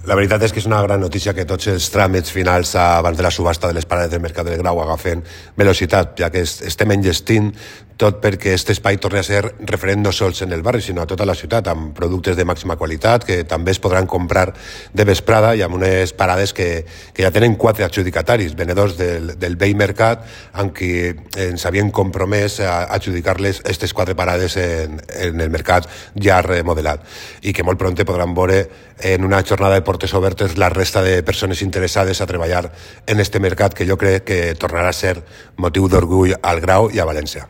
La veritat és que és una gran notícia que tots els tràmits finals abans de la subhasta de les parades del Mercat del Grau agafen velocitat, ja que estem enllestint tot perquè aquest espai torni a ser referent no sols en el barri, sinó a tota la ciutat, amb productes de màxima qualitat que també es podran comprar de vesprada i amb unes parades que ja tenen 4 adjudicataris, venedors del vell mercat, amb qui ens havien compromès a adjudicar-les aquestes 4 parades en el mercat ja remodelat, i que molt prompte podran veure en una jornada de portes obertes la resta de persones interessades a treballar en este mercat, que jo crec que tornarà a ser motiu d'orgull al Grau i a València.